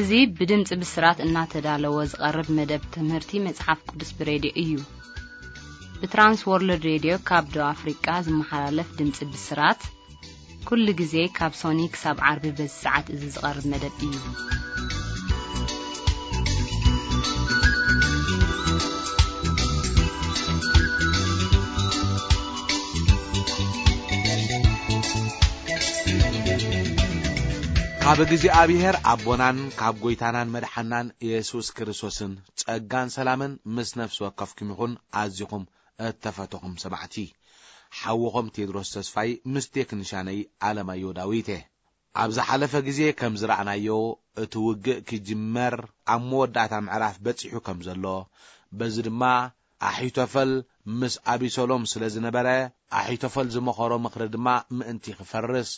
እዚ ብድምፂ ብስራት እናተዳለወ ዝቐርብ መደብ ትምህርቲ መጽሓፍ ቅዱስ ብሬድዮ እዩ። ብትራንስ ወርልድ ሬድዮ ካብ ደቡብ ኣፍሪቃ ዝመሓላለፍ ድምፂ ብስራት፣ ኩሉ ግዜ ካብ ሶኒ ክሳብ ዓርቢ በዚ ሰዓት እዚ ዝቐርብ መደብ እዩ። ካብ እግዚኣብሔር ኣቦናን ካብ ጐይታናን መድሓናን የሱስ ክርስቶስን ጸጋን ሰላምን ምስ ነፍሲ ወከፍኩም ይኹን። ኣዚኹም እተፈተኹም ሰማዕቲ፣ ሓውኹም ቴድሮስ ተስፋይ ምስ ቴክኒሻነይ ኣለማዮ ዳዊት እየ። ኣብ ዝሓለፈ ግዜ ከም ዝረኣናዮ፣ እቲ ውግእ ክጅመር ኣብ መወዳእታ ምዕራፍ በጺሑ ከም ዘሎ፣ በዚ ድማ ኣሒቶፈል ምስ ኣቢሰሎም ስለ ዝነበረ፣ ኣሒቶፈል ዝመኸሮ ምኽሪ ድማ ምእንቲ ክፈርስ፣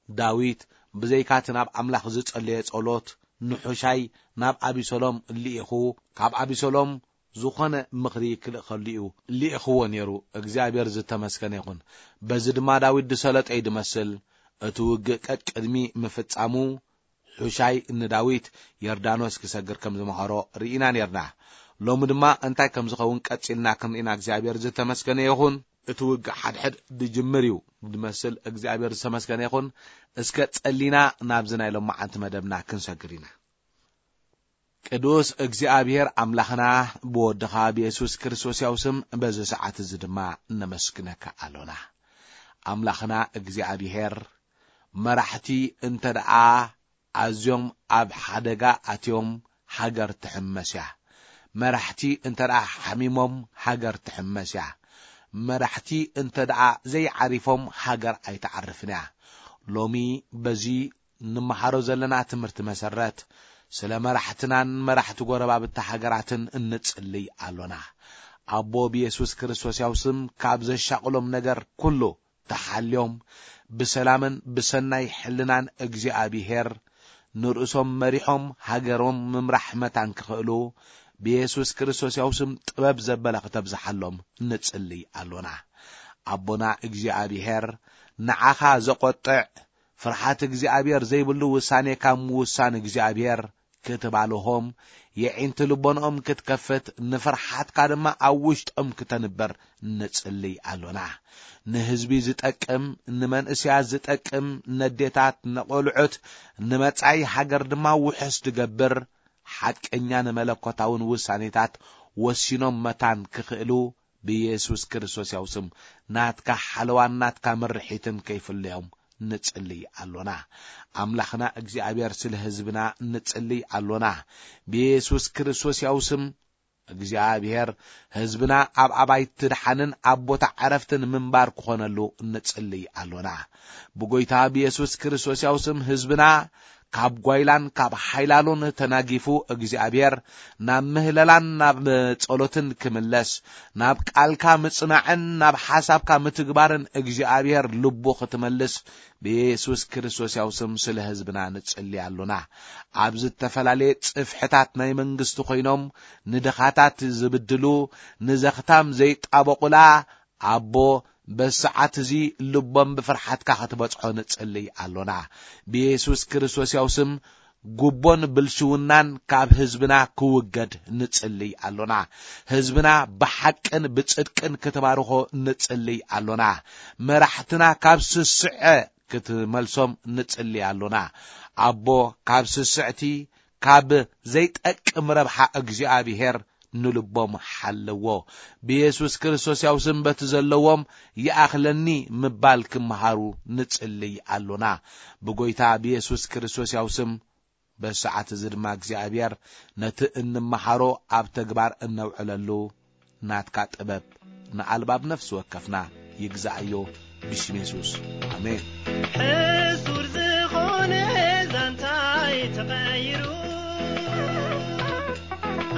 ዳዊት ብዘይካ እቲ ናብ ኣምላኽ ዝጸለየ ጸሎት፣ ንሑሻይ ናብ ኣቢሰሎም ልኢኹ፣ ካብ ኣቢሰሎም ዝኾነ ምኽሪ ክልእኸሉ እዩ ልኢኽዎ ነይሩ። እግዚኣብሔር ዝተመስገነ ይኹን። በዚ ድማ ዳዊት ዝሰለጠ እዩ ድመስል። እቲ ውግእ ቀቅድሚ ምፍጻሙ፣ ሑሻይ ንዳዊት ዮርዳኖስ ክሰግር ከም ዝመኸሮ ርኢና ነርና። ሎሚ ድማ እንታይ ከም ዝኸውን ቀጺልና ክንርኢና እግዚኣብሔር ዝተመስገነ ይኹን። እቲ ውግእ ሓድሕድ ድጅምር እዩ ድመስል። እግዚኣብሔር ዝተመስገነ ይኹን። እስከ ጸሊና ናብዚ ናይ ሎማዓንቲ መደብና ክንሰግር ኢና። ቅዱስ እግዚኣብሔር ኣምላኽና፣ ብወድኻ ብየሱስ ክርስቶስ ያው ስም በዚ ሰዓት እዚ ድማ ነመስግነካ ኣሎና። ኣምላኽና እግዚኣብሔር፣ መራሕቲ እንተ ደኣ ኣዝዮም ኣብ ሓደጋ ኣትዮም፣ ሃገር ትሕመስ እያ። መራሕቲ እንተ ደኣ ሓሚሞም፣ ሃገር ትሕመስ እያ። መራሕቲ እንተ ደኣ ዘይዓሪፎም፣ ሃገር ኣይትዓርፍን እያ። ሎሚ በዚ ንመሃሮ ዘለና ትምህርቲ መሰረት፣ ስለ መራሕትናን መራሕቲ ጎረባብቲ ሃገራትን እንጽልይ ኣሎና። ኣቦ ብየሱስ ክርስቶስ ያው ስም ካብ ዘሻቕሎም ነገር ኩሉ ተሓልዮም፣ ብሰላምን ብሰናይ ሕልናን እግዚኣብሄር ንርእሶም መሪሖም ሃገሮም ምምራሕ መታን ክኽእሉ፣ ብየሱስ ክርስቶስ ያው ስም ጥበብ ዘበለ ክተብዝሓሎም ንጽልይ ኣሎና። ኣቦና እግዚኣብሄር፣ ንዓኻ ዘቖጥዕ፣ ፍርሓት እግዚኣብሔር ዘይብሉ ውሳኔ ካብ ምውሳን እግዚኣብሔር ክትባልሆም፣ የዒንቲ ልቦንኦም ክትከፍት፣ ንፍርሓትካ ድማ ኣብ ውሽጦም ክተንብር ንጽልይ ኣሎና። ንህዝቢ ዝጠቅም፣ ንመንእሰያት ዝጠቅም፣ ነዴታት፣ ንቖልዑት፣ ንመጻኢ ሃገር ድማ ውሑስ ዝገብር፣ ሓቀኛ ንመለኮታውን ውሳኔታት ወሲኖም መታን ክኽእሉ፣ ብየሱስ ክርስቶስ ያው ስም ናትካ ሓለዋን ናትካ ምርሒትን ከይፍለዮም ንጽልይ ኣሎና። ኣምላኽና እግዚኣብሔር፣ ስለ ህዝብና ንጽልይ ኣሎና። ብየሱስ ክርስቶስ ያው ስም እግዚኣብሔር፣ ህዝብና ኣብ ኣባይቲ ድሓንን ኣብ ቦታ ዕረፍትን ምንባር ክኾነሉ ንጽልይ ኣሎና። ብጎይታ ብየሱስ ክርስቶስ ያው ስም ህዝብና ካብ ጓይላን ካብ ሓይላሉን ተናጊፉ እግዚኣብሔር ናብ ምህለላን ናብ ጸሎትን ክምለስ፣ ናብ ቃልካ ምጽናዕን ናብ ሓሳብካ ምትግባርን እግዚኣብሔር ልቡ ክትመልስ ብየሱስ ክርስቶስ ያው ስም ስለ ህዝብና ንጽሊ ኣሎና። ኣብ ዝተፈላለየ ጽፍሕታት ናይ መንግስቲ ኮይኖም ንድኻታት ዝብድሉ፣ ንዘኽታም ዘይጣበቑላ፣ ኣቦ፣ በሰዓት እዚ ልቦም ብፍርሓትካ ክትበጽሖ ንጽልይ ኣሎና። ብየሱስ ክርስቶስ ያው ስም ጉቦን ብልሽውናን ካብ ህዝብና ክውገድ ንጽልይ ኣሎና። ህዝብና ብሓቅን ብጽድቅን ክትባርኾ ንጽልይ ኣሎና። መራሕትና ካብ ስስዐ ክትመልሶም ንጽልይ ኣሎና። ኣቦ፣ ካብ ስስዕቲ፣ ካብ ዘይጠቅም ረብሓ እግዚኣብሄር ንልቦም ሓለዎ። ብየሱስ ክርስቶስ ያው ስም በቲ ዘለዎም ይኣኽለኒ ምባል ክመሃሩ ንጽልይ ኣሎና። ብጎይታ ብየሱስ ክርስቶስ ያው ስም በሰዓት እዚ ድማ እግዚኣብሔር ነቲ እንመሃሮ ኣብ ተግባር እነውዕለሉ ናትካ ጥበብ ንኣልባብ ነፍሲ ወከፍና ይግዛእዮ ብሽም የሱስ። ኣሜን። ሕሱር ዝኾነ ዛንታይ ተቐይሩ፣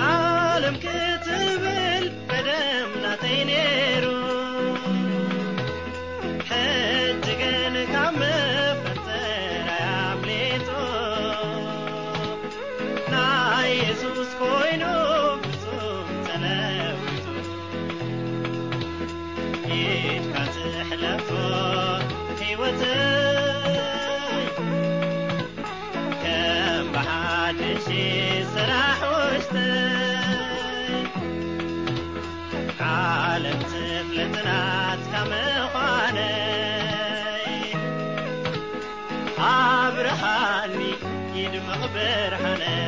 ዓለም ክትብል ቀደም ናተይ ነይሩ። ሕጂ ግን ካብ መፈንጠራይ ኣምሊጡ፣ ናይ የሱስ ኮይኑ ፍጹም ተለዊጡ። ኢድካ ትሕለፎ ህይወተይ፣ ከም ብሓድሽ ስራሕ ውሽጠይ ዓለም ትፍለጥናት ካብ ምዃነይ ኣብርሃኒ ይድምቕ ብርሃነይ።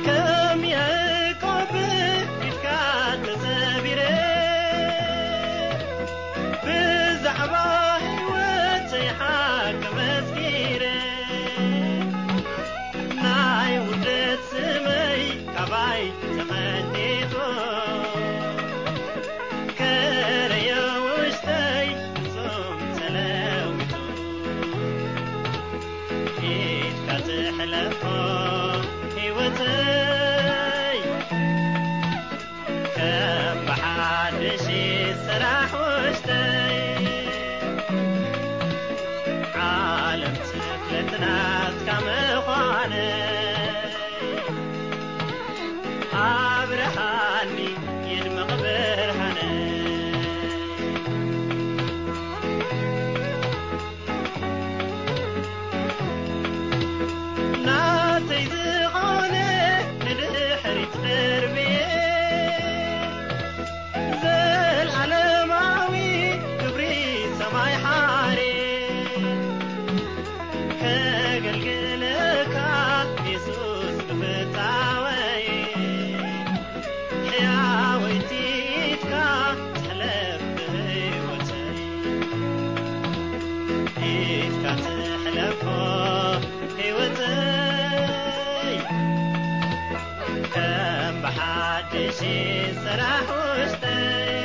ከም ያዕቆብ ፊትካ ተሰቢረ ብዛዕባ ህይወተይ ሓቂ መስኪረ ናይ ውርደት ስመይ ካባይ ተቐንጢጡ ከረዮ ውሽጠይ ፍጹም ተለዊጡ ኢድካ ትሕለፎ ህይወተይ ከም ብሓድሽ ስራሕ ውሽጠይ ዓለም ትፍለጥናትካ ምዃነይ ኣብርሃኒ ይድምቕ ብርሃነይ። ናተይ ዝኾነ ንድሕሪት ደርብየ ዘልዓለማዊ ክብሪ ሰማይ ሓርየ ከገልግለካ የሱስ ብፍታወይ ሕያወይቲ ኢድካ ትሕለፍ ብህይወተይ ኢድካ ትሕለፎ ህይወተይ ከም ብሓድሽ ስራሕ ውሽጠይ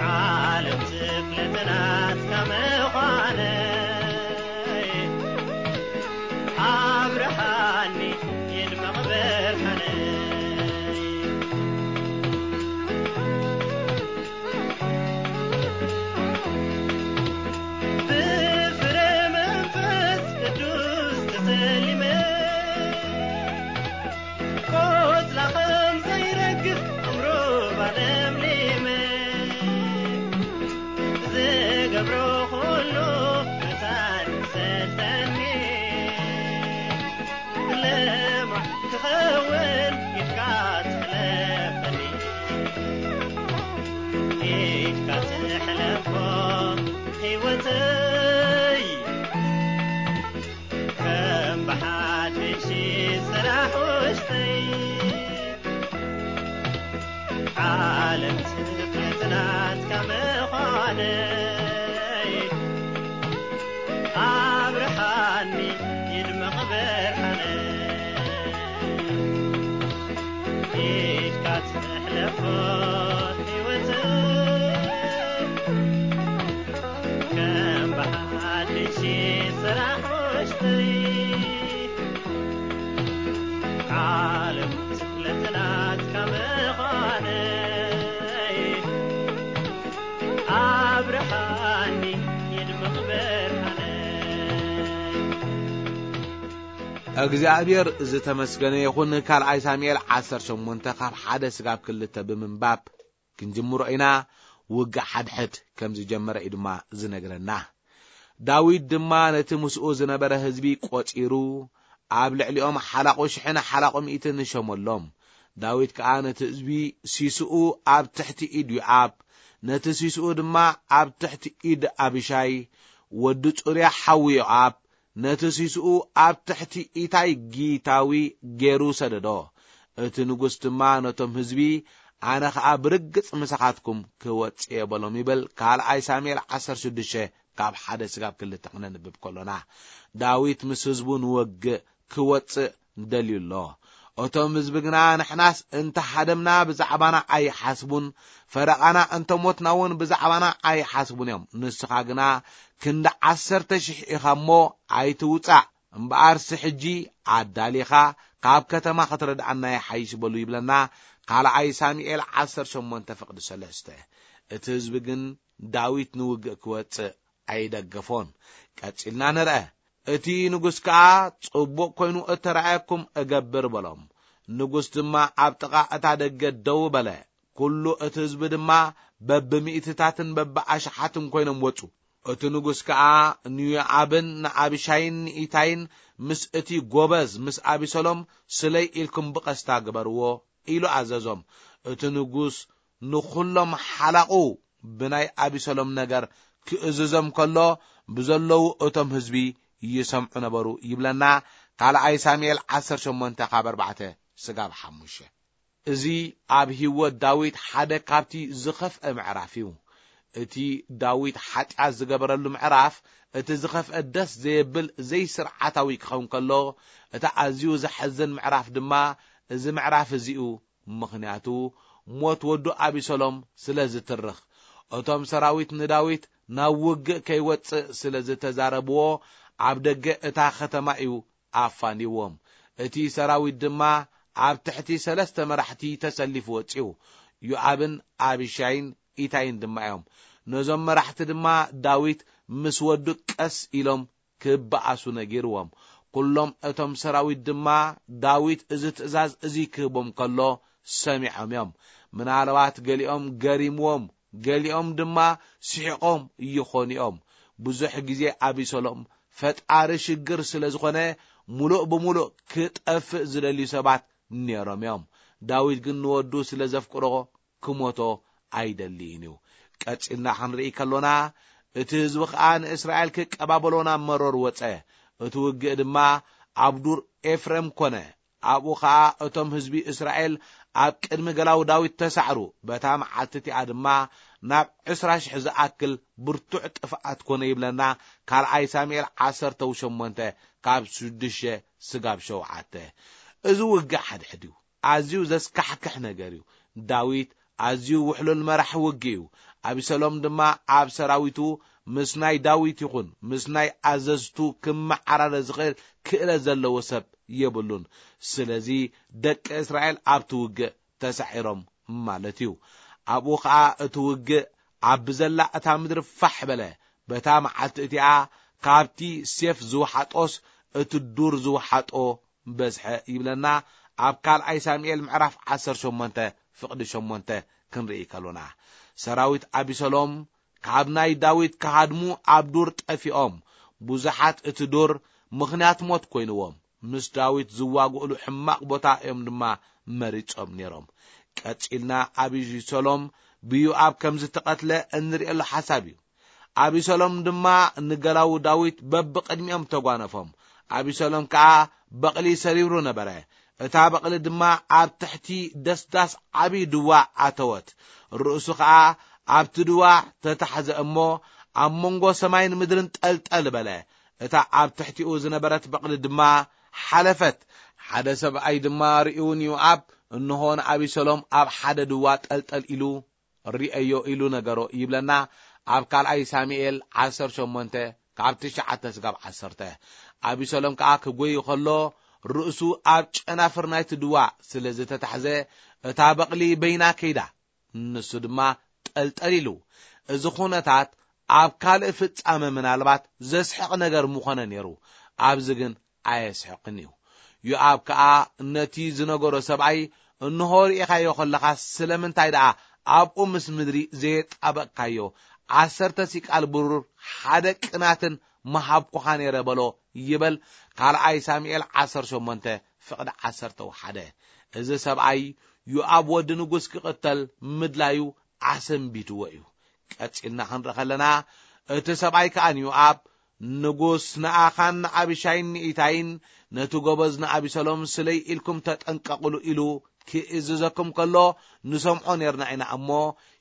ዓለም ትፍለጥናትካ ምዃነይ ኣብርሃኒ ይድመቕ ብርሃነይ። ብፍረ መንፈስ ቅዱስ ተሰሊመ ቆጽላ ከም ዘይረግፍ ዕምሩባ ለምሊመ ዝገብሮ ኩሉ መታን ይሰልጠኒ። ለማዕ ክኸውን ኢድካ ትሕለፈኒ ኢድካ ትሕለፎ ህይወተይ ከም ብሓድሽ ስራሕ ውሽጠይ ዓለም ትፍለጥ ናትካ ምዃነይ ኣብርሃኒ ይድመቕ ብርሃነይ ኢድካ ትሕለፎ ህይወተይ ከም ብሓድሽ ስራሕ ውሽጠይ ዓለም ትፍለጥ ናትካ ምዃነይ ኣብርሃኒ ይድምቕ ብርሃነይ። እግዚኣብሔር ዝተመስገነ ይኹን። ካልኣይ ሳሙኤል ዓሰርተ ሸሞንተ ካብ ሓደ ስጋብ ክልተ ብምንባብ ክንጅምሮ ኢና። ውግእ ሓድሕድ ከም ዝጀመረ እዩ ድማ ዝነግረና። ዳዊት ድማ ነቲ ምስኡ ዝነበረ ህዝቢ ቆጺሩ፣ ኣብ ልዕሊኦም ሓላቑ ሽሕን ሓላቑ ሚእትን ሸመሎም። ዳዊት ከኣ ነቲ ህዝቢ ሲስኡ ኣብ ትሕቲ ኢድ ዮኣብ፣ ነቲ ሲስኡ ድማ ኣብ ትሕቲ ኢድ ኣቢሻይ ወዲ ጹርያ ሓዊ ዮኣብ፣ ነቲ ሲስኡ ኣብ ትሕቲ ኢታይ ጊታዊ ገይሩ ሰደዶ። እቲ ንጉስ ድማ ነቶም ህዝቢ፣ ኣነ ኸኣ ብርግጽ ምሳኻትኩም ክወጽእ እየ በሎም ይብል። ካልኣይ ሳሙኤል ዓሰርተ ሽዱሽተ ካብ ሓደ ስጋብ ክልተ ክነንብብ ከሎና፣ ዳዊት ምስ ህዝቡ ንወግእ ክወጽእ ደልዩ ኣሎ። እቶም ህዝቢ ግና፣ ንሕናስ እንተ ሃደምና ብዛዕባና ኣይሓስቡን፣ ፈረቓና እንተ ሞትና እውን ብዛዕባና ኣይሓስቡን እዮም። ንስኻ ግና ክንዲ ዓሰርተ ሽሕ ኢኻ እሞ ኣይትውጻእ፣ እምበኣርሲ ሕጂ ኣዳሊኻ ካብ ከተማ ክትረድኣና ይሓይሽ በሉ ይብለና። ካልኣይ ሳሙኤል ዓሰርተ ሸሞንተ ፍቕዲ ሰለስተ። እቲ ህዝቢ ግን ዳዊት ንውግእ ክወጽእ ኣይደገፎን። ቀጺልና ንርአ። እቲ ንጉስ ከኣ፣ ጽቡቕ ኰይኑ እተራእየኩም እገብር በሎም። ንጉስ ድማ ኣብ ጥቓ እታ ደገ ደው በለ። ኩሉ እቲ ህዝቢ ድማ በብሚእትታትን በብኣሽሓትን ኮይኖም ወጹ። እቲ ንጉስ ከኣ ንዮኣብን ንኣቢሻይን ንኢታይን ምስ እቲ ጎበዝ ምስ ኣቢሰሎም ስለይ ኢልኩም ብቐስታ ግበርዎ ኢሉ ኣዘዞም። እቲ ንጉስ ንኹሎም ሓላቑ ብናይ ኣቢሰሎም ነገር ክእዝዞም ከሎ ብዘለዉ እቶም ህዝቢ ይሰምዑ ነበሩ ይብለና። ካልኣይ ሳሙኤል ዓሰርተ ሸሞንተ ካብ ኣርባዕተ ስጋብ ሓሙሽተ። እዚ ኣብ ህይወት ዳዊት ሓደ ካብቲ ዝኸፍአ ምዕራፍ እዩ። እቲ ዳዊት ሓጢኣት ዝገበረሉ ምዕራፍ፣ እቲ ዝኸፍአ ደስ ዘየብል ዘይስርዓታዊ ክኸውን ከሎ፣ እቲ ኣዝዩ ዘሐዝን ምዕራፍ ድማ እዚ ምዕራፍ እዚ እዩ። ምኽንያቱ ሞት ወዱ ኣቢሰሎም ስለ ዝትርኽ፣ እቶም ሰራዊት ንዳዊት ናብ ውግእ ከይወጽእ ስለ ዝተዛረብዎ፣ ኣብ ደገ እታ ከተማ እዩ ኣፋንይዎም። እቲ ሰራዊት ድማ ኣብ ትሕቲ ሰለስተ መራሕቲ ተሰሊፉ ወጺኡ። ዮኣብን ኣቢሻይን ኢታይን ድማ እዮም። ነዞም መራሕቲ ድማ ዳዊት ምስ ወዱ ቀስ ኢሎም ክበኣሱ ነጊርዎም። ኩሎም እቶም ሰራዊት ድማ ዳዊት እዚ ትእዛዝ እዚ ክህቦም ከሎ ሰሚዖም እዮም። ምናልባት ገሊኦም ገሪምዎም፣ ገሊኦም ድማ ስሒቖም ይኾኑ እዮም። ብዙሕ ግዜ ኣቢሰሎም ፈጣሪ ሽግር ስለ ዝኾነ፣ ሙሉእ ብሙሉእ ክጠፍእ ዝደልዩ ሰባት ነይሮም እዮም። ዳዊት ግን ንወዱ ስለ ዘፍቅሮ ክሞቶ ኣይደልይን እዩ። ቀጺልና ክንርኢ ከሎና፣ እቲ ህዝቢ ኸኣ ንእስራኤል ክቀባበሎ ናብ መሮር ወጸ። እቲ ውግእ ድማ ኣብ ዱር ኤፍሬም ኮነ። ኣብኡ ኸኣ እቶም ህዝቢ እስራኤል ኣብ ቅድሚ ገላው ዳዊት ተሳዕሩ። በታ መዓልቲ እቲኣ ድማ ናብ ዕስራ ሽሕ ዝኣክል ብርቱዕ ጥፍኣት ኮነ ይብለና ካልኣይ ሳሙኤል ዓሰርተ ሸሞንተ ካብ ሽዱሽተ ስጋብ ሸውዓተ። እዚ ውግእ ሓድሕድ እዩ። ኣዝዩ ዘስካሕክሕ ነገር እዩ። ዳዊት ኣዝዩ ውሕሉል መራሒ ውግእ እዩ። ኣቢሰሎም ድማ ኣብ ሰራዊቱ ምስ ናይ ዳዊት ይኹን ምስ ናይ ኣዘዝቱ ክመዓራረ ዝኽእል ክእለት ዘለዎ ሰብ የብሉን። ስለዚ ደቂ እስራኤል ኣብቲ ውግእ ተሳዒሮም ማለት እዩ። ኣብኡ ኸኣ እቲ ውግእ ኣብ ብዘላ እታ ምድሪ ፋሕ በለ። በታ መዓልቲ እቲኣ ካብቲ ሴፍ ዝወሓጦስ እቲ ዱር ዝወሓጦ በዝሐ ይብለና። ኣብ ካልኣይ ሳሙኤል ምዕራፍ ዓሰርተ ሸሞንተ ፍቕዲ ሸሞንተ ክንርኢ ከሎና፣ ሰራዊት ኣቢሰሎም ካብ ናይ ዳዊት ክሃድሙ ኣብ ዱር ጠፊኦም። ብዙሓት እቲ ዱር ምኽንያት ሞት ኮይንዎም፣ ምስ ዳዊት ዝዋግእሉ ሕማቕ ቦታ እዮም ድማ መሪጾም ነይሮም። ቀጺልና ኣቢሰሎም ብዮኣብ ከም ዝተቐትለ እንርእየሉ ሓሳብ እዩ። ኣቢሰሎም ድማ ንገላዉ ዳዊት በብቕድሚኦም ተጓነፎም። ኣቢሰሎም ከኣ በቕሊ ሰሪሩ ነበረ። እታ በቕሊ ድማ ኣብ ትሕቲ ደስዳስ ዓቢ ድዋ ኣተወት። ርእሱ ኸኣ ኣብቲ ድዋ ተታሕዘ እሞ፣ ኣብ መንጎ ሰማይን ምድርን ጠልጠል በለ። እታ ኣብ ትሕቲኡ ዝነበረት በቕሊ ድማ ሓለፈት። ሓደ ሰብኣይ ድማ ርእዩ ንዮኣብ፣ "እንሆ ንኣቢሰሎም ኣብ ሓደ ድዋ ጠልጠል ኢሉ ርኣዮ" ኢሉ ነገሮ ይብለና ኣብ ካልኣይ ሳሙኤል ዓሰርተ ሸሞንተ ካብ ትሽዓተ ስጋብ ዓሰርተ። ኣቢሰሎም ከኣ ክጎይ ከሎ ርእሱ ኣብ ጨናፍር ናይቲ ድዋ ስለ ዝተታሕዘ እታ በቕሊ በይና ከይዳ፣ ንሱ ድማ ጠልጠል ኢሉ። እዚ ኩነታት ኣብ ካልእ ፍጻመ ምናልባት ዘስሕቕ ነገር ምኾነ ነይሩ። ኣብዚ ግን ኣየስሕቕን እዩ። ዮኣብ ከኣ ነቲ ዝነገሮ ሰብኣይ፣ "እንሆ ርኢኻዮ ከለኻ ስለምንታይ ደኣ ኣብኡ ምስ ምድሪ ዘየጣበቕካዮ? ዓሰርተ ሲቃል ብሩር ሓደ ቅናትን ምሃብኩኻ ነይረ" በሎ ይበል። ካልኣይ ሳሙኤል ዓሰርተ ሸሞንተ ፍቕዲ ዓሰርተ ሓደ። እዚ ሰብኣይ ዮኣብ ወዲ ንጉስ ክቕተል ምድላዩ ኣሰንቢትዎ እዩ። ቀጺልና ክንርኢ ከለና፣ እቲ ሰብኣይ ከኣ ንዮኣብ፣ "ንጉስ ንኣኻን ንኣቢሻይን ንኢታይን ነቲ ጎበዝ ንኣቢሰሎም ስለይ ኢልኩም ተጠንቀቕሉ" ኢሉ ክእዝዘኩም ከሎ ንሰምዖ ኔርና ኢና እሞ፣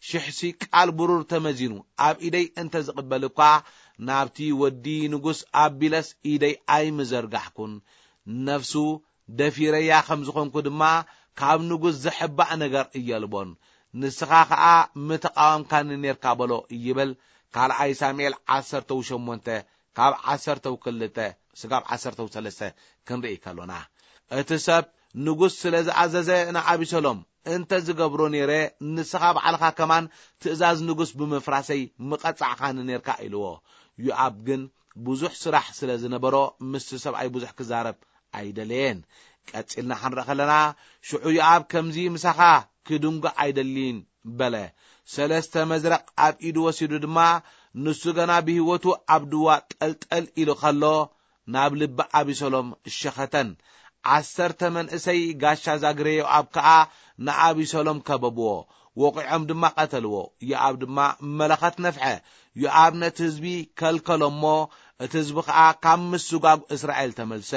ሽሕ ሲቃል ብሩር ተመዚኑ ኣብ ኢደይ እንተ ዝቕበል እኳ፣ ናብቲ ወዲ ንጉስ ኣቢለስ ኢደይ ኣይምዘርጋሕኩን። ነፍሱ ደፊረያ ከም ዝኾንኩ ድማ ካብ ንጉስ ዘሕባእ ነገር እየልቦን። ንስኻ ኸኣ ምተቓወምካኒ ኔርካ በሎ ይብል ካልኣይ ሳሙኤል ዓሰርተ ሸሞንተ ካብ ዓሰርተ ክልተ ስጋብ ዓሰርተ ሰለስተ ክንርኢ ከሎና፣ እቲ ሰብ ንጉስ ስለ ዝኣዘዘ ንኣቢሰሎም፣ "እንተ ዝገብሮ ነይረ፣ ንስኻ ባዕልኻ ከማን ትእዛዝ ንጉስ ብምፍራሰይ ምቐጻዕካኒ ኔርካ" ኢልዎ። ዮኣብ ግን ብዙሕ ስራሕ ስለ ዝነበሮ ምስቲ ሰብኣይ ብዙሕ ክዛረብ ኣይደለየን። ቀጺልና ክንርኢ ከለና፣ ሽዑ ዮኣብ ከምዚ ምሳኻ ክድንጉ ኣይደሊን በለ። ሰለስተ መዝረቕ ኣብ ኢዱ ወሲዱ ድማ፣ ንሱ ገና ብህይወቱ ኣብ ድዋ ጠልጠል ኢሉ ከሎ፣ ናብ ልቢ ኣቢሰሎም ሸኸተን። ዓሰርተ መንእሰይ ጋሻ ዛግሬ ዮኣብ ከኣ ንኣቢሰሎም ከበብዎ። ወቒዖም ድማ ቀተልዎ። ዮኣብ ድማ መለኸት ነፍሐ። ዮኣብ ነቲ ህዝቢ ከልከሎ እሞ፣ እቲ ህዝቢ ኸኣ ካብ ምስጓግ እስራኤል ተመልሰ።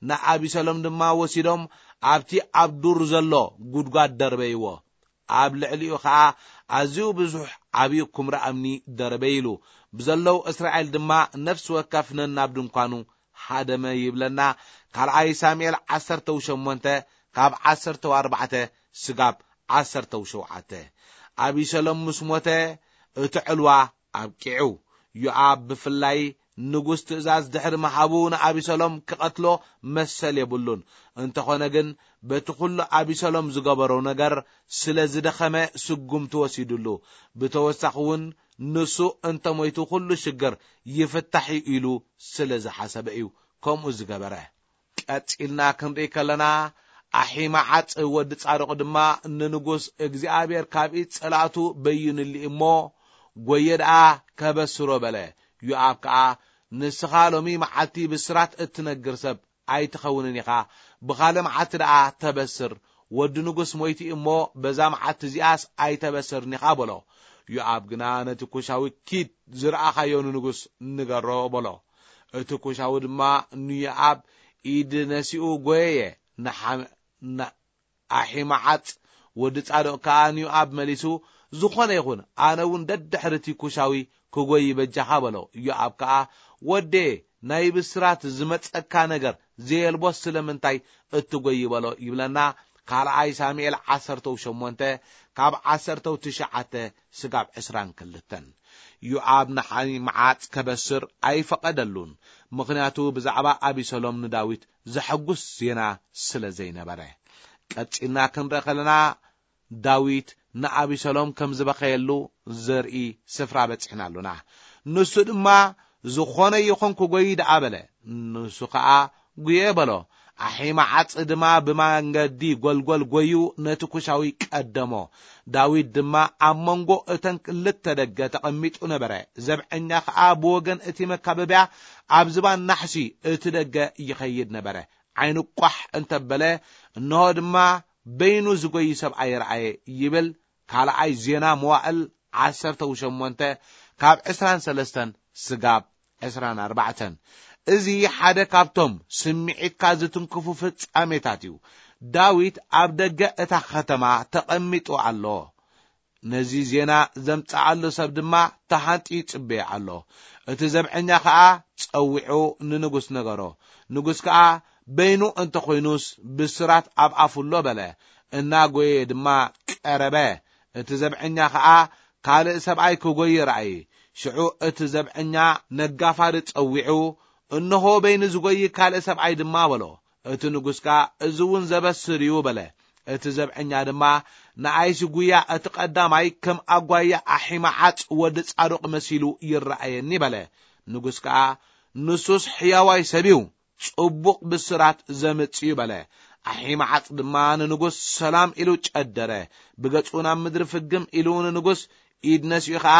ንኣቢሰሎም ድማ ወሲዶም ኣብቲ ኣብ ዱር ዘሎ ጉድጓድ ደርበይዎ። ኣብ ልዕሊኡ ኸኣ ኣዝዩ ብዙሕ ዓብዪ ኵምራ እምኒ ደርበይሉ። ብዘለዉ እስራኤል ድማ ነፍሲ ወከፍ ነናብ ድንኳኑ ሃደመ ይብለና። ካልኣይ ሳሙኤል ዓሰርተ ሸሞንተ ካብ ዓሰርተ ኣርባዕተ ስጋብ ዓሰርተ ሸውዓተ። ኣቢሰሎም ምስ ሞተ እቲ ዕልዋ ኣብቂዑ። ዮኣብ ብፍላይ ንጉስ ትእዛዝ ድሕሪ ምሃቡ ንኣቢሰሎም ክቐትሎ መሰል የብሉን። እንተኾነ ግን በቲ ኩሉ ኣቢሰሎም ዝገበሮ ነገር ስለ ዝደኸመ ስጉምቲ ወሲዱሉ። ብተወሳኺ እውን ንሱ እንተሞይቱ ኩሉ ሽግር ይፍታሕ እዩ ኢሉ ስለ ዝሓሰበ እዩ ከምኡ ዝገበረ። ቀጺልና ክንርኢ ከለና፣ ኣሒማዓጽ ወዲ ጻዶቕ ድማ ንንጉስ፣ እግዚኣብሔር ካብ ኢድ ጸላእቱ በይኑሊ እሞ፣ ጐየ ደኣ ከበስሮ በለ። ዮኣብ ከኣ፣ ንስኻ ሎሚ መዓልቲ ብስራት እትነግር ሰብ ኣይትኸውንን ኢኻ፣ ብኻልእ መዓልቲ ደኣ ተበስር፣ ወዲ ንጉስ ሞይቱ እሞ፣ በዛ መዓልቲ እዚኣስ ኣይተበስርን ኢኻ በሎ። ዮኣብ ግና ነቲ ኩሻዊ፣ ኪድ ዝረኣኻዮ ንንጉስ ንገሮ በሎ። እቲ ኩሻዊ ድማ ንዮኣብ ኢድ ነሲኡ ጐየየ። ንሓ-፣ ን-፣ ኣሒማዓጽ ወዲ ጻዶቅ ከኣ ንዮኣብ መሊሱ፣ ዝኾነ ይኹን፣ ኣነ እውን ደድሕሪ እቲ ኩሻዊ ክጎይ በጃኻ በሎ። ዮኣብ ከኣ፣ ወዴ፣ ናይ ብስራት ዝመጸካ ነገር ዘየልቦስ ስለምንታይ እትጎይ በሎ ይብለና። ካልኣይ ሳሙኤል ዓሰርተ ሸሞንተ ካብ ዓሰርተ ትሽዓተ ስጋብ ዕስራን ክልተን። ዮኣብ ንሓይ መዓጽ ከበስር ኣይፈቐደሉን፣ ምኽንያቱ ብዛዕባ ኣቢሰሎም ንዳዊት ዘሐጉስ ዜና ስለ ዘይነበረ። ቀጺልና ክንርኢ ከለና፣ ዳዊት ንኣቢሰሎም ከም ዝበኸየሉ ዘርኢ ስፍራ በጺሕና ኣሎና። ንሱ ድማ፣ ዝኾነ ይኹን ክጎይ ደኣ በለ። ንሱ ኸኣ፣ ጉየ በሎ። ኣሒማዓጽ ድማ ብመንገዲ ጐልጐል ጐዩ ነቲ ኩሻዊ ቀደሞ። ዳዊት ድማ ኣብ መንጎ እተን ክልተ ደገ ተቐሚጡ ነበረ። ዘብዐኛ ኸኣ ብወገን እቲ መካበብያ ኣብ ዝባን ናሕሲ እቲ ደገ ይኸይድ ነበረ። ዓይኑ ቋሕ እንተበለ፣ እንሆ ድማ በይኑ ዝጎይ ሰብኣይ ረኣየ ይብል ካልኣይ ዜና መዋእል ዓሰርተ ሸሞንተ ካብ ዕስራን ሰለስተን ስጋብ ዕስራን ኣርባዕተን። እዚ ሓደ ካብቶም ስምዒትካ ዝትንክፉ ፍጻሜታት እዩ። ዳዊት ኣብ ደገ እታ ከተማ ተቐሚጡ ኣሎ። ነዚ ዜና ዘምጽኣሉ ሰብ ድማ ተሃንጥዩ ይጽበዮ ኣሎ። እቲ ዘብዐኛ ኸኣ ጸዊዑ ንንጉስ ነገሮ። ንጉስ ከኣ በይኑ እንተ ኾይኑስ ብስራት ኣብ ኣፉ ኣሎ በለ። እናጎየ ድማ ቀረበ። እቲ ዘብዐኛ ኸኣ ካልእ ሰብኣይ ክጎይ ረኣየ። ሽዑ እቲ ዘብዐኛ ነጋፋሪ ጸዊዑ፣ እንሆ በይኑ ዝጎይ ካልእ ሰብኣይ ድማ በሎ። እቲ ንጉስ ከኣ፣ እዚ እውን ዘበስር እዩ በለ። እቲ ዘብዐኛ ድማ፣ ንኣይሲ ጉያ እቲ ቀዳማይ ከም ኣጓያ ኣሒማዓጽ ወዲ ጻዶቅ መሲሉ ይረኣየኒ በለ። ንጉስ ከኣ፣ ንሱስ ሕያዋይ ሰብ እዩ፣ ጽቡቕ ብስራት ዘምጽእ እዩ በለ። ኣሒማዓጽ ድማ ንንጉስ ሰላም ኢሉ ጨደረ። ብገጹ ናብ ምድሪ ፍግም ኢሉ ንንጉስ ኢድ ነሲኡ ኸኣ፣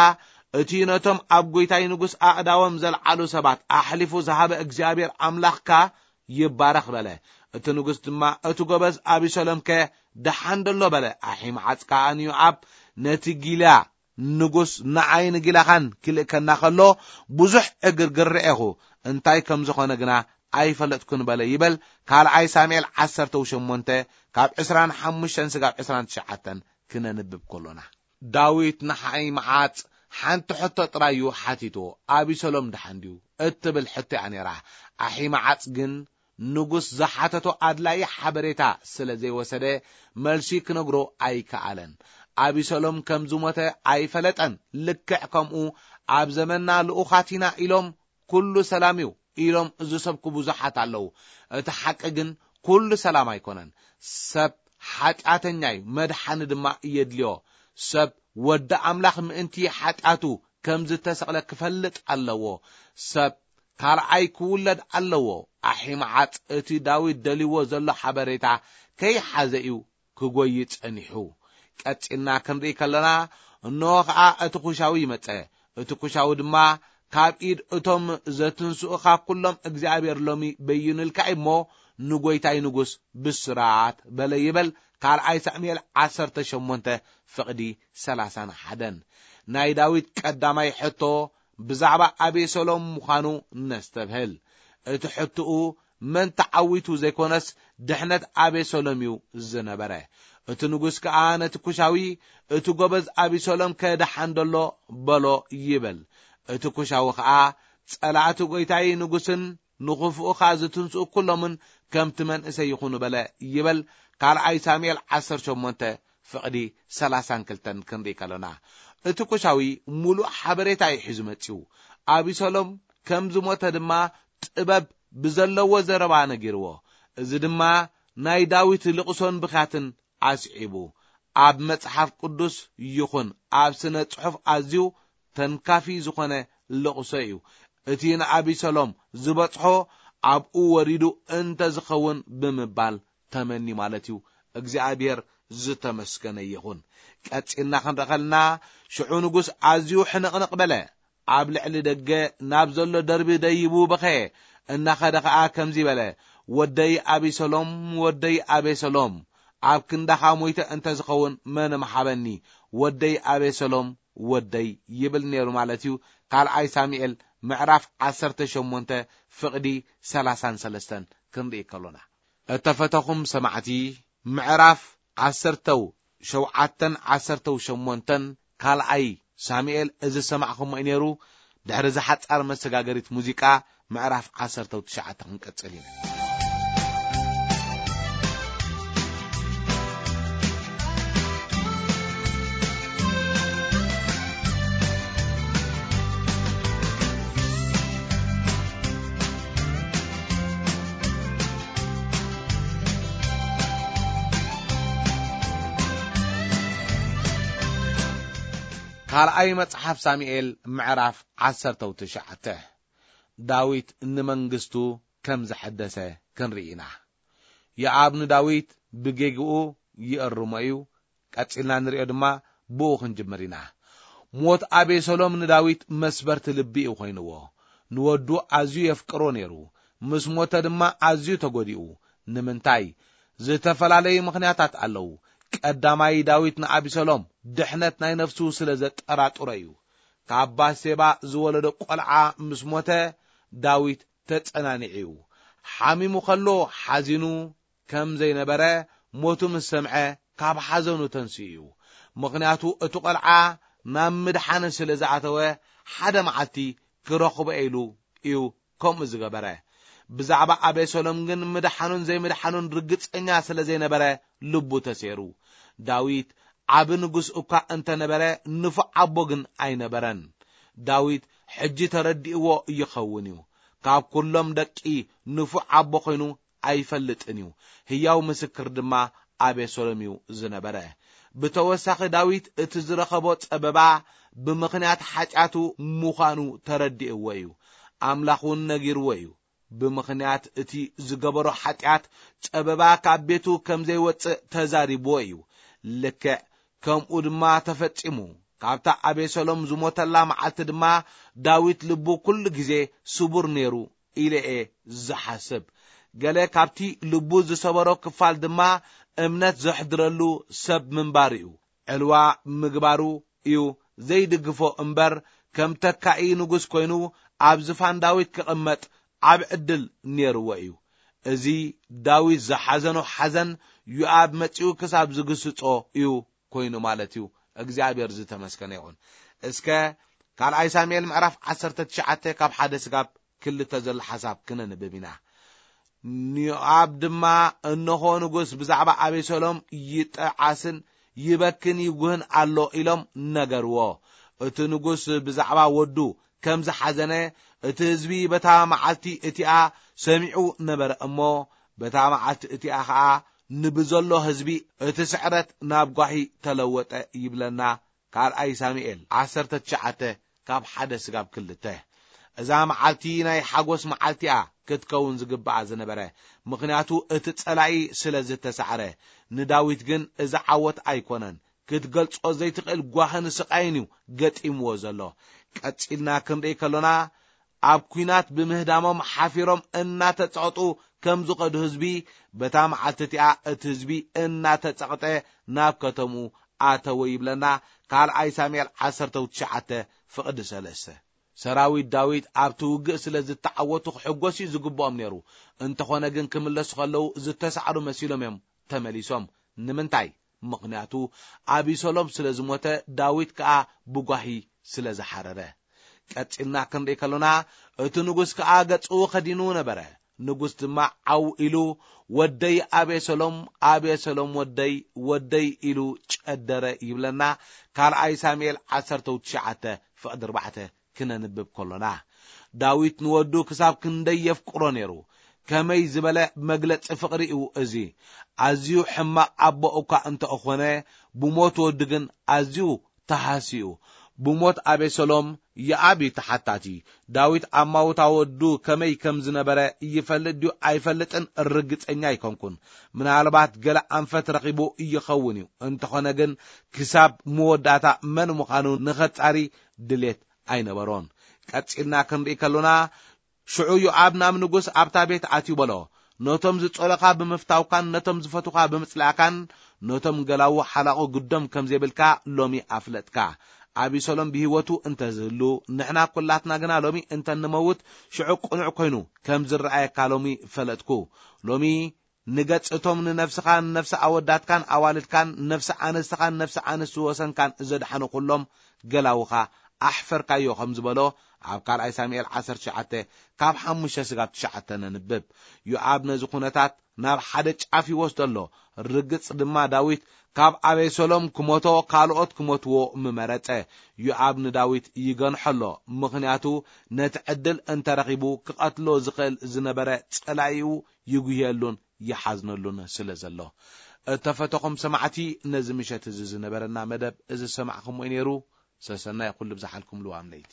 እቲ ነቶም ኣብ ጐይታይ ንጉስ ኣእዳዎም ዘልዓሉ ሰባት ኣሕሊፉ ዝሃበ እግዚኣብሔር ኣምላኽካ ይባረኽ በለ። እቲ ንጉስ ድማ፣ እቲ ጐበዝ ኣቢሰሎምከ ደሓን ደሎ በለ። ኣሒማዓጽ ከኣ ንዮኣብ፣ ነቲ ጊላ ንጉስ ንዓይን ጊላኻን ክልእከና ኸሎ ብዙሕ ዕግርግር ርኤኹ፣ እንታይ ከም ዝኾነ ግና ኣይፈለጥኩን በለ ይበል። ካልኣይ ሳሙኤል ዓሰርተ ሸሞንተ ካብ ዕስራን ሓሙሽተን ስጋብ ዕስራን ትሽዓተን ክነንብብ ከሎና። ዳዊት ንሓይምዓጽ ሓንቲ ሕቶ ጥራይ እዩ ሓቲትዎ፣ "ኣቢሰሎም ደሓን ድዩ?" እትብል ሕቶ እያ ነይራ። ኣሒምዓጽ ግን ንጉስ ዝሓተቶ ኣድላዪ ሓበሬታ ስለ ዘይወሰደ፣ መልሲ ክነግሮ ኣይከኣለን። ኣቢሰሎም ከም ዝሞተ ኣይፈለጠን። ልክዕ ከምኡ፣ ኣብ ዘመንና ልኡኻት ኢና ኢሎም ኩሉ ሰላም እዩ ኢሎም ዝሰብኩ ብዙሓት ኣለዉ። እቲ ሓቂ ግን ኩሉ ሰላም ኣይኮነን። ሰብ ሓጢኣተኛ እዩ፣ መድሓኒ ድማ የድልዮ። ሰብ ወዲ ኣምላኽ ምእንቲ ሓጢኣቱ ከም ዝተሰቕለ ክፈልጥ ኣለዎ። ሰብ ካልኣይ ክውለድ ኣለዎ። ኣሒማዓጽ እቲ ዳዊት ደልይዎ ዘሎ ሓበሬታ ከይሓዘ እዩ ክጎይ ጸኒሑ። ቀጺልና ክንርኢ ከለና፣ እንሆ ኸኣ እቲ ኩሻዊ መጸ። እቲ ኩሻዊ ድማ፣ ካብ ኢድ እቶም ዘትንስኡ ካብ ኩሎም እግዚኣብሔር ሎሚ በይኑልካ እዩ እሞ፣ ንጎይታይ ንጉስ ብስራት በለ ይበል። ካልኣይ ሳሙኤል ዓሰርተ ሸሞንተ ፍቕዲ ሰላሳን ሓደን። ናይ ዳዊት ቀዳማይ ሕቶ ብዛዕባ ኣቤሰሎም ምዃኑ ነስተብህል። እቲ ሕትኡ መን ተዓዊቱ ዘይኮነስ፣ ድሕነት ኣቤሰሎም እዩ ዝነበረ። እቲ ንጉስ ከኣ ነቲ ኩሻዊ፣ "እቲ ጎበዝ ኣቢሰሎም ከ ደሓን ደሎ?" በሎ ይብል። እቲ ኩሻዊ ከኣ፣ "ጸላእቲ ጐይታይ ንጉስን ንኽፉእኻ ዝትንስኡ ኩሎምን ከምቲ መንእሰይ ይኹኑ" በለ ይብል። ካልኣይ ሳሙኤል ዓሰርተ ሸሞንተ ፍቕዲ ሰላሳን ክልተን ክንርኢ ከሎና፣ እቲ ኩሻዊ ሙሉእ ሓበሬታ እዩ ሒዙ መጺኡ። ኣቢሰሎም ከም ዝሞተ ድማ ጥበብ ብዘለዎ ዘረባ ነጊርዎ። እዚ ድማ ናይ ዳዊት ልቕሶን ብኽያትን ኣስዒቡ፣ ኣብ መጽሓፍ ቅዱስ ይኹን ኣብ ስነ ጽሑፍ ኣዝዩ ተንካፊ ዝኾነ ልቕሶ እዩ። እቲ ንኣቢሰሎም ዝበጽሖ ኣብኡ ወሪዱ እንተ ዝኸውን ብምባል ተመኒ ማለት እዩ። እግዚኣብሔር ዝተመስገነ ይኹን። ቀጺልና ክንርኢ ከለና፣ ሽዑ ንጉስ ኣዝዩ ሕንቕንቕ በለ። ኣብ ልዕሊ ደገ ናብ ዘሎ ደርቢ ደይቡ በኸየ። እናኸደ ኸኣ ከምዚ በለ፣ "ወደይ ኣቤሰሎም፣ ወደይ ኣቤሰሎም፣ ኣብ ክንዳኻ ሞይተ እንተ ዝኸውን መን ምሓበኒ? ወደይ ኣቤሰሎም፣ ወደይ" ይብል ነይሩ ማለት እዩ። ካልኣይ ሳሙኤል ምዕራፍ ዓሰርተ ሸሞንተ ፍቕዲ ሰላሳን ሰለስተን ክንርኢ ከሎና። እተፈተኹም ሰማዕቲ፣ ምዕራፍ ዓሰርተው ሸውዓተን ዓሰርተው ሸሞንተን ካልኣይ ሳሙኤል እዚ ዝሰማዕኹሞ እዩ ነይሩ። ድሕሪ እዛ ሓጻር መሰጋገሪት ሙዚቃ፣ ምዕራፍ ዓሰርተው ትሽዓተ ክንቀጽል ኢና። ካልኣይ መጽሓፍ ሳሙኤል ምዕራፍ ዓሰርተው ትሽዓተ። ዳዊት ንመንግስቱ ከም ዘሐደሰ ክንርኢ ኢና። የኣብ ንዳዊት ብጌግኡ ይእርሞ እዩ። ቀጺልና ንሪኦ ድማ ብኡ ክንጅምር ኢና። ሞት ኣቤሰሎም ንዳዊት መስበርቲ ልቢ እዩ ኮይንዎ። ንወዱ ኣዝዩ የፍቅሮ ነይሩ። ምስ ሞተ ድማ ኣዝዩ ተጎዲኡ። ንምንታይ? ዝተፈላለዩ ምኽንያታት ኣለዉ። ቀዳማይ፣ ዳዊት ንኣቢሰሎም ድሕነት ናይ ነፍሱ ስለ ዘጠራጥሮ እዩ። ካብ ባሴባ ዝወለዶ ቆልዓ ምስ ሞተ፣ ዳዊት ተጸናኒዑ እዩ። ሓሚሙ ከሎ ሓዚኑ ከም ዘይነበረ፣ ሞቱ ምስ ሰምዐ ካብ ሓዘኑ ተንሲኡ እዩ። ምኽንያቱ፣ እቲ ቆልዓ ናብ ምድሓን ስለ ዝኣተወ፣ ሓደ መዓልቲ ክረኽቦ ኢሉ እዩ ከምኡ ዝገበረ። ብዛዕባ ኣቤሰሎም ግን ምድሓኑን ዘይምድሓኑን ርግጸኛ ስለ ዘይነበረ፣ ልቡ ተሴሩ። ዳዊት ዓቢ ንጉስ እኳ እንተነበረ፣ ንፉዕ ኣቦ ግን ኣይነበረን። ዳዊት ሕጂ ተረዲእዎ ይኸውን እዩ። ካብ ኩሎም ደቂ ንፉዕ ኣቦ ኮይኑ ኣይፈልጥን እዩ። ህያው ምስክር ድማ ኣቤሰሎም እዩ ዝነበረ። ብተወሳኺ፣ ዳዊት እቲ ዝረኸቦ ጸበባ ብምኽንያት ሓጢኣቱ ምዃኑ ተረዲእዎ እዩ። ኣምላኽ እውን ነጊርዎ እዩ። ብምኽንያት እቲ ዝገበሮ ሓጢኣት፣ ጸበባ ካብ ቤቱ ከም ዘይወጽእ ተዛሪብዎ እዩ። ልክዕ ከምኡ ድማ ተፈጺሙ። ካብታ ኣቤሰሎም ዝሞተላ መዓልቲ ድማ፣ ዳዊት ልቡ ኩሉ ግዜ ስቡር ነይሩ ኢለ እየ ዝሓስብ። ገለ ካብቲ ልቡ ዝሰበሮ ክፋል ድማ፣ እምነት ዘሕድረሉ ሰብ ምንባሩ እዩ። ዕልዋ ምግባሩ እዩ ዘይድግፎ እምበር፣ ከም ተካኢ ንጉስ ኮይኑ ኣብ ዝፋን ዳዊት ክቕመጥ ዓቢ ዕድል ነይርዎ እዩ። እዚ ዳዊት ዝሓዘኖ ሓዘን፣ ዮኣብ መጺኡ ክሳብ ዝግስጾ እዩ ኮይኑ ማለት እዩ። እግዚኣብሔር ዝተመስገነ ይኹን። እስከ ካልኣይ ሳሙኤል ምዕራፍ ዓሰርተ ትሽዓተ ካብ ሓደ ስጋብ ክልተ ዘሎ ሓሳብ ክነንብብ ኢና። ንዮኣብ ድማ፣ "እንሆ፣ ንጉስ ብዛዕባ ኣቤሰሎም ይጠዓስን ይበክን ይጉህን ኣሎ" ኢሎም ነገርዎ። እቲ ንጉስ ብዛዕባ ወዱ ከም ዝሓዘነ፣ እቲ ህዝቢ በታ መዓልቲ እቲኣ ሰሚዑ ነበረ እሞ፣ በታ መዓልቲ እቲኣ ኸኣ ንብዘሎ ህዝቢ እቲ ስዕረት ናብ ጓሂ ተለወጠ ይብለና። ካልኣይ ሳሙኤል ዓሰርተ ትሽዓተ ካብ ሓደ ስጋብ ክልተ። እዛ መዓልቲ ናይ ሓጎስ መዓልቲ እያ ክትከውን ዝግብኣ ዝነበረ፣ ምኽንያቱ እቲ ጸላኢ ስለ ዝተሳዕረ። ንዳዊት ግን እዚ ዓወት ኣይኮነን። ክትገልጾ ዘይትኽእል ጓህን ስቓይን እዩ ገጢምዎ ዘሎ። ቀጺልና ክንርኢ ከሎና፣ ኣብ ኲናት ብምህዳሞም ሓፊሮም እናተጸቕጡ ከም ዝኸዱ ህዝቢ፣ በታ መዓልቲ እቲኣ እቲ ህዝቢ እናተጸቕጠ ናብ ከተምኡ ኣተወ ይብለና ካልኣይ ሳሙኤል ዓሰርተ ትሽዓተ ፍቕዲ ሰለስተ። ሰራዊት ዳዊት ኣብቲ ውግእ ስለ ዝተዓወቱ ክሕጎስ እዩ ዝግብኦም ነይሩ። እንተኾነ ግን ክምለሱ ከለዉ ዝተሳዕሩ መሲሎም እዮም ተመሊሶም። ንምንታይ? ምኽንያቱ ኣቢሰሎም ስለ ዝሞተ፣ ዳዊት ከኣ ብጓሂ ስለ ዝሓረረ። ቀጺልና ክንርኢ ከሎና፣ እቲ ንጉስ ከኣ ገጹ ከዲኑ ነበረ። ንጉስ ድማ ዓው ኢሉ፣ "ወደይ ኣቤሰሎም፣ ኣቤሰሎም ወደይ፣ ወደይ" ኢሉ ጨደረ ይብለና ካልኣይ ሳሙኤል ዓሰርተ ትሽዓተ ፍቕዲ ኣርባዕተ ክነንብብ ከሎና። ዳዊት ንወዱ ክሳብ ክንደይ የፍቅሮ ነይሩ! ከመይ ዝበለ መግለጺ ፍቕሪ እዩ እዚ! ኣዝዩ ሕማቕ ኣቦ እኳ እንተ ኾነ፣ ብሞት ወዱ ግን ኣዝዩ ተሃስዩ። ብሞት ኣቤሰሎም፣ ዮኣብ እዩ ተሓታቲ። ዳዊት ኣማውታ ወዱ ከመይ ከም ዝነበረ ይፈልጥ ድዩ ኣይፈልጥን ርግጸኛ ኣይኮንኩን። ምናልባት ገለ ኣንፈት ረኺቡ ይኸውን እዩ። እንተኾነ ግን፣ ክሳብ መወዳእታ መን ምዃኑ ንኸጻሪ ድሌት ኣይነበሮን። ቀጺልና ክንርኢ ከሎና፣ ሽዑ ዮኣብ ናብ ንጉስ ኣብታ ቤት ኣትዩ በሎ፣ "ነቶም ዝጸሉኻ ብምፍታውካን ነቶም ዝፈቱኻ ብምጽላእካን፣ ነቶም ገላዉ ሓላቑ ግዶም ከም ዘይብልካ ሎሚ ኣፍለጥካ። ኣቢሰሎም ብህይወቱ እንተ ዝህሉ፣ ንሕና ኲላትና ግና ሎሚ እንተ ንመውት፣ ሽዑ ቅኑዕ ኰይኑ ከም ዝረኣየካ ሎሚ ፈለጥኩ። ሎሚ ንገጽ እቶም ንነፍስኻን ነፍሲ ኣወዳትካን ኣዋልድካን ነፍሲ ኣንስትኻን ነፍሲ ኣንስቲ ወሰንካን ዘድሓኑ ኹሎም ገላውኻ ኣሕፈርካዮ" ከም ዝበሎ ኣብ ካልኣይ ሳሙኤል ዓሰርተ ትሽዓተ ካብ ሓሙሽተ ስጋብ ትሽዓተ ነንብብ። ዮኣብ ነዚ ኩነታት ናብ ሓደ ጫፍ ይወስዶ ኣሎ። ርግጽ ድማ ዳዊት ካብ ኣቤሰሎም ክሞቶ ካልኦት ክሞትዎ ምመረጸ። ዮኣብ ንዳዊት ይገንሖ ኣሎ፣ ምኽንያቱ ነቲ ዕድል እንተረኺቡ ክቐትሎ ዝኽእል ዝነበረ ጸላኢኡ ይጉህየሉን ይሓዝነሉን ስለ ዘሎ። እተፈተኹም ሰማዕቲ፣ ነዚ ምሸት እዚ ዝነበረና መደብ እዚ ዝሰማዕኹምዎ እዩ ነይሩ። ሰሰናይ ኩሉ ብዝሓልኩም ልዋም ለይቲ።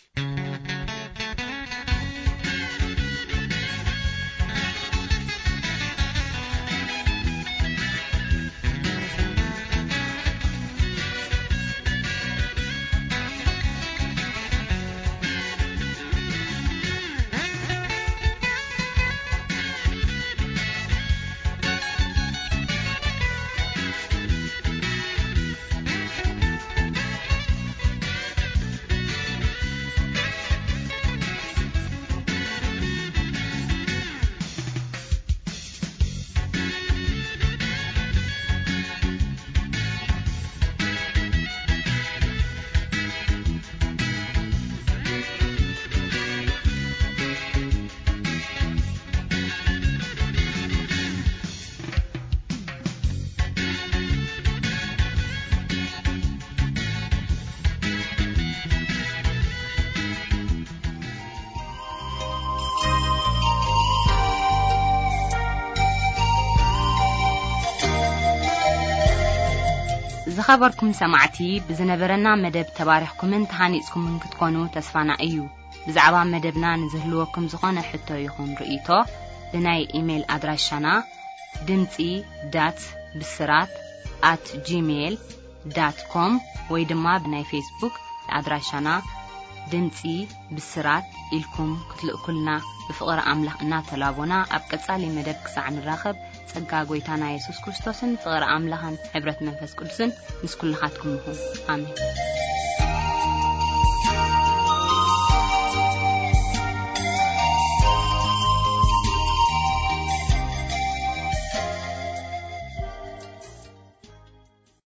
ዝኸበርኩም ሰማዕቲ፣ ብዝነበረና መደብ ተባሪኽኩምን ተሃኒጽኩምን ክትኮኑ ተስፋና እዩ። ብዛዕባ መደብና ንዝህልወኩም ዝኾነ ሕቶ ይኹን ርእይቶ፣ ብናይ ኢሜይል ኣድራሻና ድምጺ ዳት ብስራት ኣት ጂሜይል ዳት ኮም ወይ ድማ ብናይ ፌስቡክ ኣድራሻና ድምጺ ብስራት ኢልኩም ክትልእኩልና ብፍቕሪ ኣምላኽ እናተላቦና፣ ኣብ ቀጻሊ መደብ ክሳዕ ንራኸብ፣ ጸጋ ጐይታና የሱስ ክርስቶስን ፍቕሪ ኣምላኽን ሕብረት መንፈስ ቅዱስን ምስ ኩልኻትኩም ይኹን። ኣሜን።